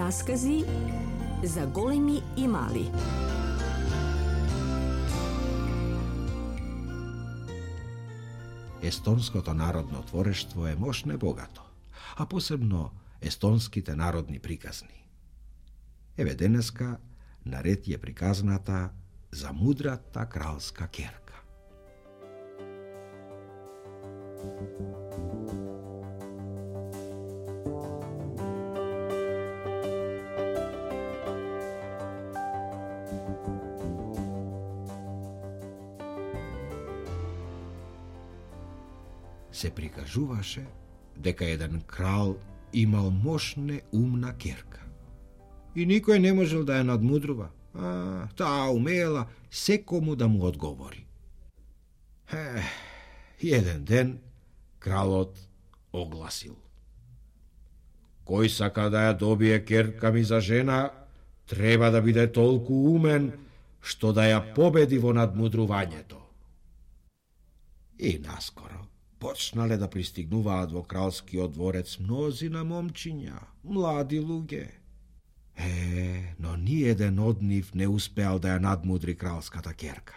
Раскази за големи и мали. Естонското народно творештво е мощно и богато, а посебно естонските народни приказни. Еве денеска наред е приказната за мудрата кралска керка. Се прикажуваше дека еден крал имал мощна умна керка. И никој не можел да ја надмудрува. Таа умеела секому да му одговори. Еден ден кралот огласил: кој сака да ја добие керка ми за жена, треба да биде толку умен што да ја победи во надмудрувањето. И наскоро почнале да пристигнуваат во кралскиот дворец мнозина момчиња, млади луѓе. Но ниеден од нив не успеал да ја надмудри кралската керка.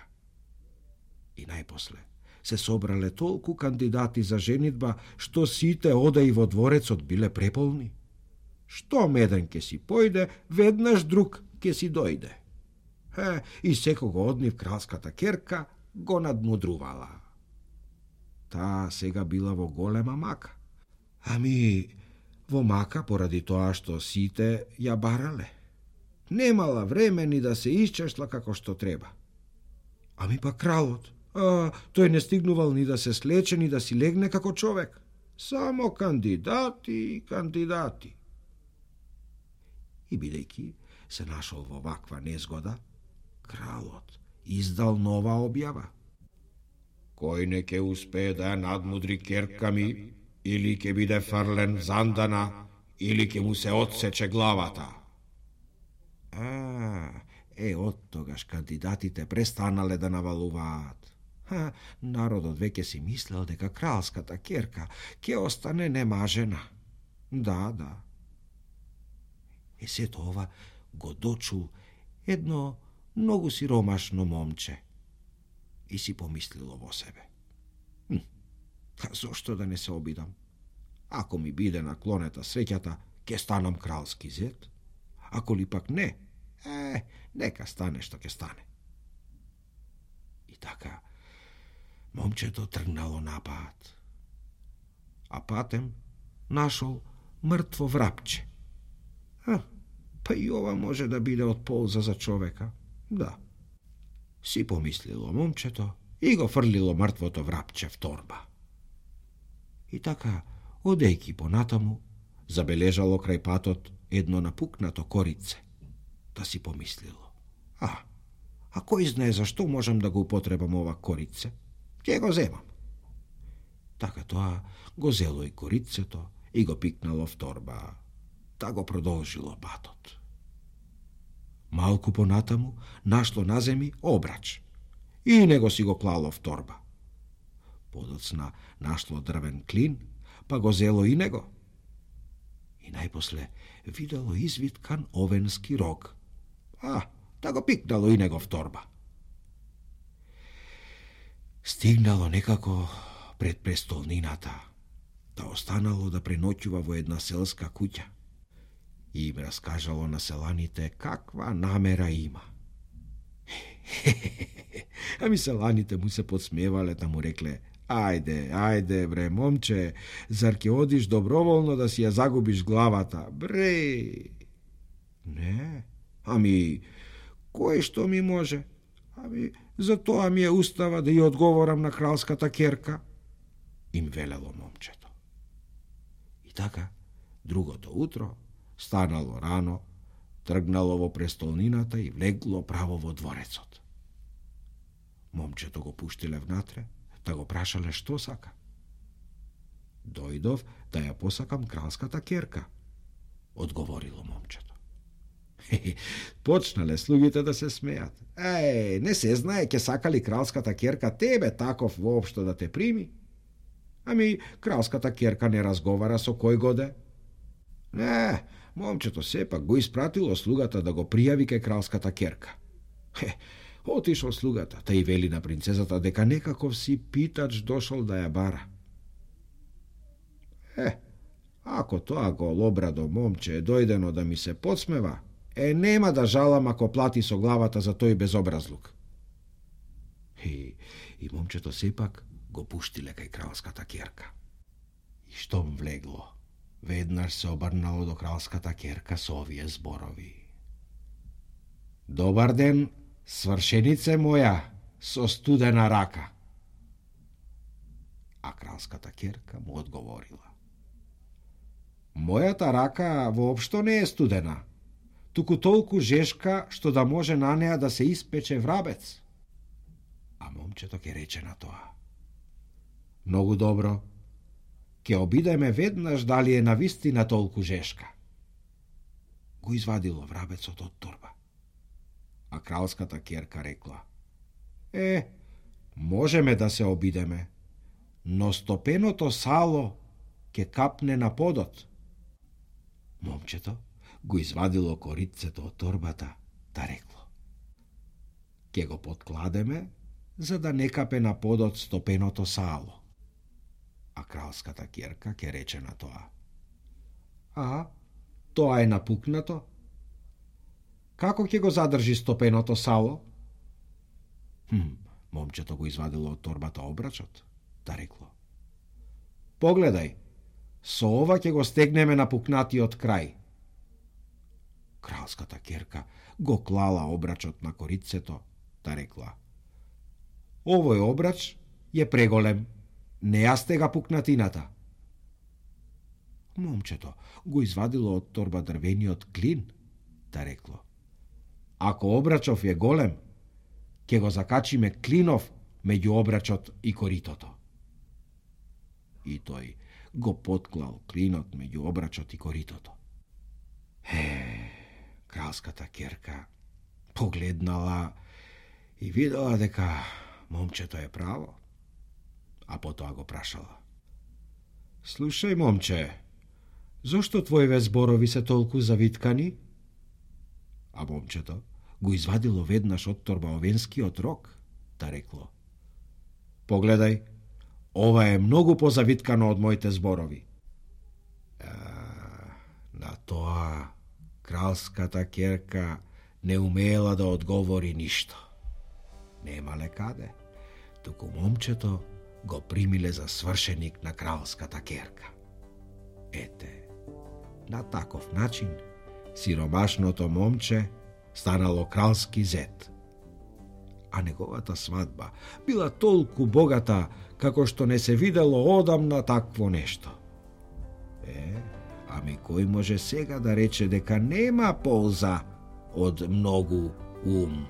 И најпосле се собрале толку кандидати за женитба, што сите одеи во дворецот биле преполни. Штом еден ке си појде, веднаш друг ке си дојде. И секого од нив кралската керка го надмудрувала. Таа сега била во голема мака. Во мака поради тоа што сите ја барале. Немала време ни да се исчешла како што треба. Па кралот, тој не стигнувал ни да се слече, ни да си легне како човек. Само кандидати и кандидати. И бидејќи се нашол во ваква незгода, кралот издал нова објава. Кој не ке успее да ја надмудри керка ми, или ке биде фрлен в зандана, или ке му се отсече главата. Од тогаш кандидатите престанале да навалуваат. Народот веќе си мислел дека кралската керка ке остане немажена. Да. Сето ова го дочул едно многу сиромашно момче и си помислило во себе: зошто да не се обидам? Ако ми биде наклонета среќата, ке станам кралски зет. Ако ли пак не, нека стане што ке стане. И така, момчето тргнало напад. А патем нашол мртво врапче. И ова може да биде од полза за човека. Да. Си помислило момчето и го фрлило мртвото врапче в торба. И така, одејќи понатаму, забележало крај патот едно напукнато корице. Да си помислило: кој знае зашто можам да го употребам ова корице? Ке го земам. Така тоа го зело и корицето и го пикнало в торба. Та го продолжило патот. Малку понатаму нашло на земи обрач и него си го клало в торба. Подоцна нашло дрвен клин, па го зело и него. И најпосле видело извиткан овенски рог. Та го пикнало и него в торба. Стигнало некако пред престолнината, та останало да преноќува во една селска куќа. И им раскажало на селаните каква намера има. Селаните му се подсмевале, та му рекле: Ајде, бре, момче, зар ќе одиш доброволно да си ја загубиш главата? Бре! Не, кој што ми може? За тоа ми е устава да ја одговорам на кралската керка, им велело момчето. И така, другото утро станало рано, тргнало во престолнината и влегло право во дворецот. Момчето го пуштиле внатре, да го прашале што сака. Дојдов да ја посакам кралската керка, одговорило момчето. Почнале слугите да се смеат. Не се знае ке сакали кралската керка тебе таков воопшто да те прими? Кралската керка не разговара со кој годе. момчето сепак го испратило слугата да го пријави кај кралската керка. Отишол слугата, та и вели на принцезата дека некаков си питач дошол да ја бара. Ако тоа голобрадо момче е дојдено да ми се подсмева, нема да жалам ако плати со главата за тој безобразлук. И момчето сепак го пуштиле кај кралската керка. И штом влегло, веднаш се обрнало до кралската керка со овие зборови. Добар ден, свршенице моја, со студена рака. А кралската керка му одговорила. Мојата рака воопшто не е студена, туку толку жешка што да може на неа да се испече врабец. А момчето ќе рече на тоа. Многу добро, ќе обидеме веднаш дали е навистина толку жешка. Го извадило врабецот од торба. А кралската керка рекла. Можеме да се обидеме, но стопеното сало ќе капне на подот. Момчето го извадило корицето од торбата, та рекло. Ќе го подкладеме, за да не капе на подот стопеното сало. А кралската керка ќе рече на тоа. Тоа е напукнато? Како ќе го задржи стопеното сало? Момчето го извадило од торбата обрачот, та рекло. Погледај, со ова ќе го стегнеме напукнатиот крај. Кралската керка го клала обрачот на корицето, та рекла. Овој обрач е преголем, не ја стега пукнатината. Момчето го извадило од торба дрвениот клин, та рекло. Ако обрачов е голем, ќе го закачиме клинов меѓу обрачот и коритото. И тој го потклал клинот меѓу обрачот и коритото. Кралската керка погледнала и видела дека момчето е право, а потоа го прашала. Слушај, момче, зошто твоиве зборови се толку завиткани? А момчето го извадило веднаш од торба овенскиот рок, та рекло. Погледај, ова е многу позавиткано од моите зборови. На тоа кралската керка не умеела да одговори ништо. Немале каде, туку момчето го примиле за свршеник на кралската керка. На таков начин сиромашното момче станало кралски зет. А неговата свадба била толку богата, како што не се видело одамна такво нешто. Ами кој може сега да рече дека нема полза од многу ум?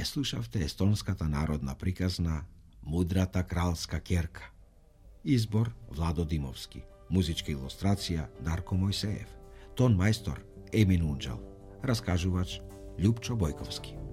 Ја слушавте естонската народна приказна Мудрата кралска ќерка. Избор Владо Димовски. Музичка илустрација Дарко Мојсеев. Тон мајстор Емин Унџал. Раскажувач Љупчо Бојковски.